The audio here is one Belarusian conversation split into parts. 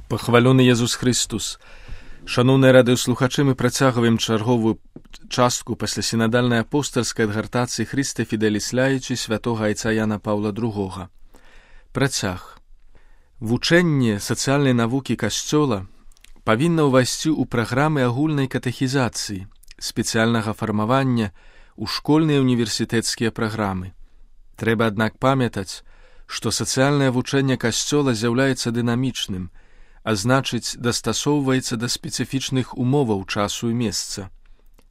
Пахвалёны Езус Христус. Шаноўныя радыёслухачы, мы працягваем чарговую частку пасля сінадальнай апостальскай адгартацыі Хрыста Фіделіс Ляючы святога айца Яна Паўла II. Працяг. Вучэнне сацыяльнай навукі Касцёла павінна ўвайсці ў праграмы агульнай катэхізацыі, спецыяльнага фармавання ў школьныя універсітэцкія праграмы. Трэба, аднак, памятаць, што сацыяльнае вучэнне Касцёла з'яўляецца дынамічным, а значыць, дастасоўваецца да спецыфічных умоваў часу і месца.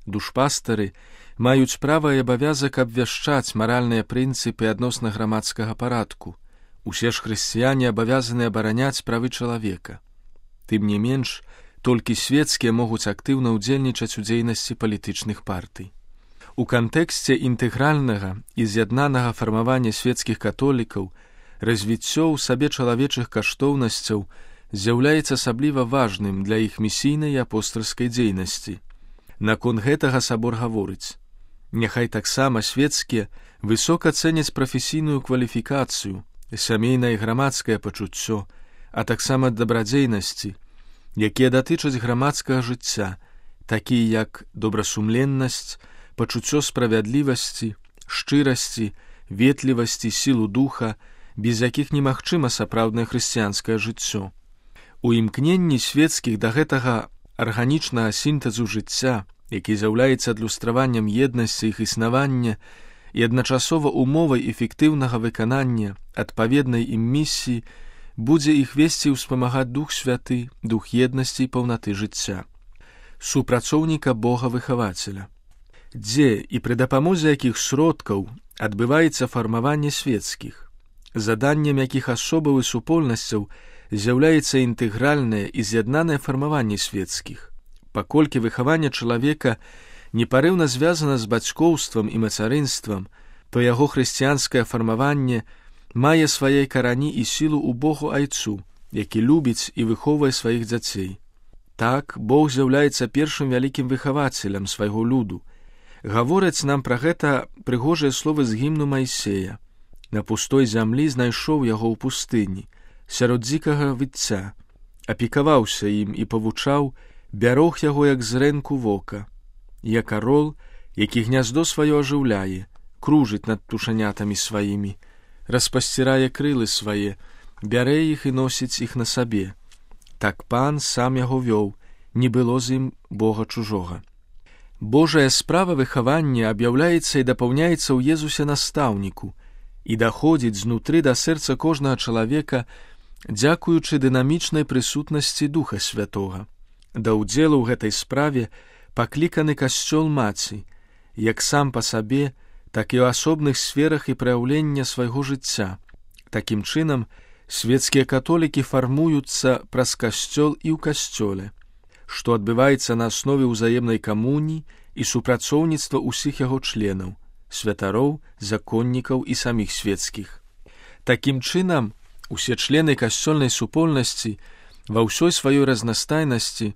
Душпастары маюць права і абавязак абвяшчаць маральныя прынцыпы адносна грамадскага парадку. Усе ж хрысціяне абавязаны абараняць правы чалавека. Тым не менш, толькі свецкія могуць актыўна ўдзельнічаць у дзейнасці палітычных партый. У кантэксце інтэгральнага і з'яднанага фармавання свецкіх католікаў развіццё ў сабе чалавечых каштоўнасцяў з'яўляецца асабліва важным для іх місійнай і апостальскай дзейнасці. Наконт гэтага сабор гаворыць: няхай таксама свецкія высока цэняць прафесійную кваліфікацыю, сямейнае і грамадскае пачуццё, а таксама дабрадзейнасці, якія датычаць грамадскага жыцця, такія як добрасумленнасць, пачуццё справядлівасці, шчырасці, ветлівасці, сілу духа, без якіх немагчыма сапраўднае хрысціянскае жыццё. У імкненні свецкіх да гэтага арганічнага сінтэзу жыцця, які з'яўляецца адлюстраваннем еднасці іх існавання і адначасова умовай эфектыўнага выканання адпаведнай ім місіі, будзе іх весці ўспамагаць Дух Святы, дух еднасці і паўнаты жыцця, супрацоўніка Бога-выхавацеля. Дзе і пры дапамозе якіх сродкаў адбываецца фармаванне свецкіх, заданнем якіх асобаў і супольнасцяў з'яўляецца інтэгральнае і з'яднанае фармаванне свецкіх, паколькі выхаванне чалавека непарыўна звязана з бацькоўствам і мацарынствам, то яго хрысціянскае фармаванне мае свае карані і сілу ў Богу Айцу, які любіць і выхоўвае сваіх дзяцей. Так, Бог з'яўляецца першым вялікім выхавацелем свайго люду. Гавораць нам пра гэта прыгожыя словы з гімну Майсея: «На пустой зямлі знайшоў яго ў пустыні, сярод дзікага выцця, апекаваўся ім і павучаў, бярог яго як зрэнку вока. Як арол, які гняздо сваё ажыўляе, кружыць над птушанятамі сваімі, распасцірае крылы свае, бярэ іх і носіць іх на сабе. Так Пан сам яго вёў, не было з ім Бога чужога». Божая справа выхавання аб'яўляецца і дапаўняецца ў Езусе настаўніку і даходзіць знутры да сэрца кожнага чалавека дзякуючы дынамічнай прысутнасці Духа Святога. Да ўдзелу ў гэтай справе пакліканы Касцёл Маці, як сам па сабе, так і ў асобных сферах і праяўлення свайго жыцця. Такім чынам, свецкія католікі фармуюцца праз Касцёл і ў Касцёле, што адбываецца на аснове ўзаемнай камуніі і супрацоўніцтва ўсіх яго членаў, святароў, законнікаў і саміх свецкіх. Такім чынам, усе члены касцёльнай супольнасці ва ўсёй сваёй разнастайнасці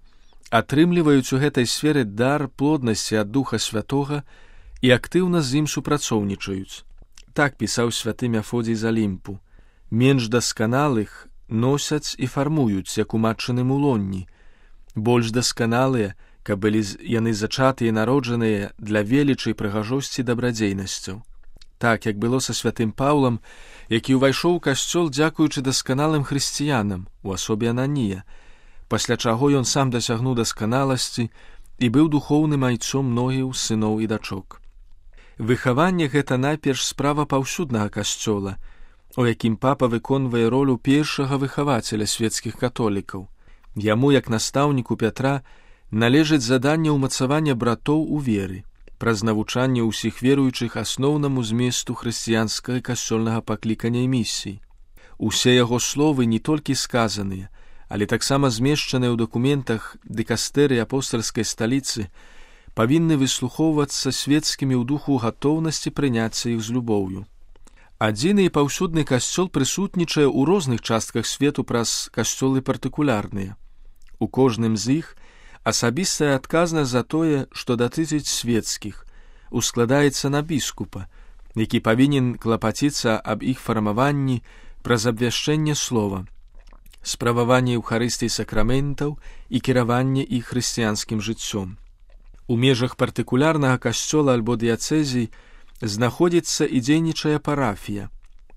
атрымліваюць у гэтай сферы дар плоднасці ад Духа Святога і актыўна з ім супрацоўнічаюць. Так пісаў святы Мефодзій з Алімпу: «Менш дасканалых носяць і фармуюць, як у матчыным улонні. Больш дасканалыя, каб былі яны зачатыя і народжаныя для велічы і прыгажосці дабрадзейнасцяў». Так, як было са святым Паўлам, які ўвайшоў у касцёл дзякуючы дасканалым хрысціянам у асобе Ананія, пасля чаго ён сам дасягнуў дасканаласці і быў духоўным айцом многіх сыноў і дачок. Выхаванне гэта найперш справа паўсюднага касцёла, у якім папа выконвае ролю першага выхавацеля свецкіх католікаў. Яму, як настаўніку Пятра, належыць заданне ўмацавання братоў у веры, праз навучанне ўсіх веруючых асноўнаму зместу хрысціянскага касцёльнага паклікання і місіі. Усе яго словы не толькі сказаныя, але таксама змешчаныя ў дакументах дыкастэрыі апостальскай сталіцы, павінны выслухоўвацца свецкімі ў духу гатоўнасці прыняцца іх з любоўю. Адзіны і паўсюдны касцёл прысутнічае ў розных частках свету праз касцёлы партыкулярныя. У кожным з іх асабістая адказнасць за тое, што датычыць свецкіх, ускладаецца на біскупа, які павінен клапаціцца аб іх фармаванні праз абвяшчэнне слова, справаванне эўхарыстый сакраментаў і кіраванне іх хрысціянскім жыццём. У межах партыкулярнага касцёла альбо дыяцэзій знаходзіцца і дзейнічае парафія,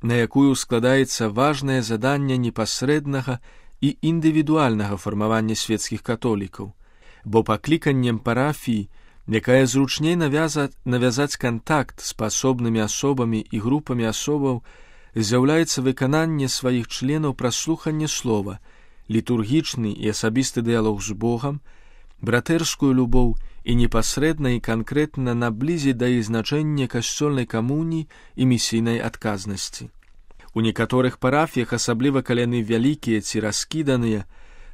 на якую складаецца важнае заданне непасрэднага і індывідуальнага фармавання свецкіх католікаў, бо пакліканнем парафіі, якая зручней навязаць кантакт з паасобнымі асобамі і групамі асобаў, з'яўляецца выкананне сваіх членаў праз слуханне слова, літургічны і асабісты дыялог з Богам, братэрскую любоў і непасрэдна і канкрэтна наблізіць да іх значэння касцёльнай камуніі і місійнай адказнасці. У некаторых парафіях, асабліва калі яны вялікія ці раскіданыя,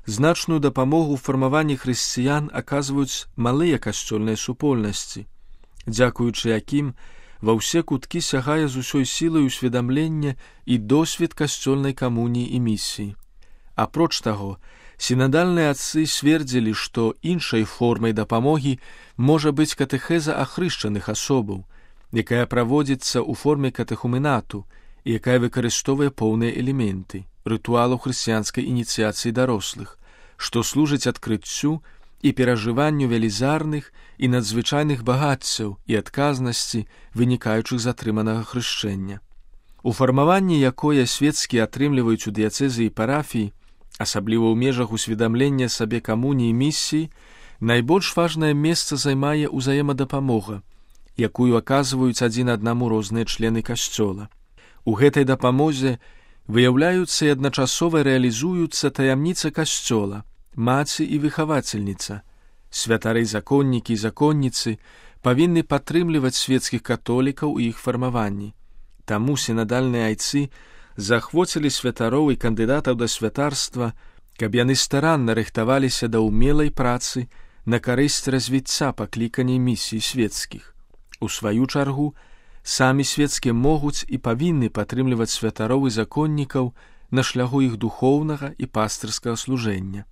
значную дапамогу ў фармаванні хрысціян аказваюць малыя касцёльныя супольнасці, дзякуючы якім ва ўсе куткі сягае з усёй сілай усведамлення і досвед касцёльнай камуніі і місіі. Апроч таго, сінадальныя адцы свердзілі, што іншай формай дапамогі можа быць катэхеза ахрышчаных асобаў, якая праводзіцца ў форме катэхуменату і якая выкарыстоўвае поўныя элементы рытуалаў хрысціянскай ініцыяцыі дарослых, што служыць адкрыццю і перажыванню велізарных і надзвычайных багаццяў і адказнасці, вынікаючых з атрыманага хрышчэння. У фармаванні якое свецкія атрымліваюць у дыяцэзы і парафіі, асабліва ў межах усведамлення сабе камуніі і місіі, найбольш важнае месца займае ўзаемадапамога, якую аказваюць адзін аднаму розныя члены касцёла. У гэтай дапамозе выяўляюцца і адначасова рэалізуюцца таямніца касцёла, маці і выхавацельніца. Святары-законнікі і законніцы павінны падтрымліваць свецкіх католікаў у іх фармаванні. Таму сінадальныя айцы захвоцілі святароў і кандыдатаў да святарства, каб яны старанна рыхтаваліся да ўмелай працы на карысць развіцця пакліканняў місій свецкіх. У сваю чаргу, самі свецкія могуць і павінны падтрымліваць святароў і законнікаў на шляху іх духоўнага і пастырскага служэння.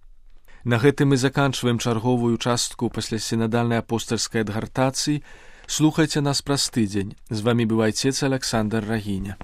На гэтым мы заканчваем чарговую частку паслясінадальнай апостальскай адгартацыі. Слухайце нас праз тыдзень. З вамі быў айцец Аляксандр Рагіня.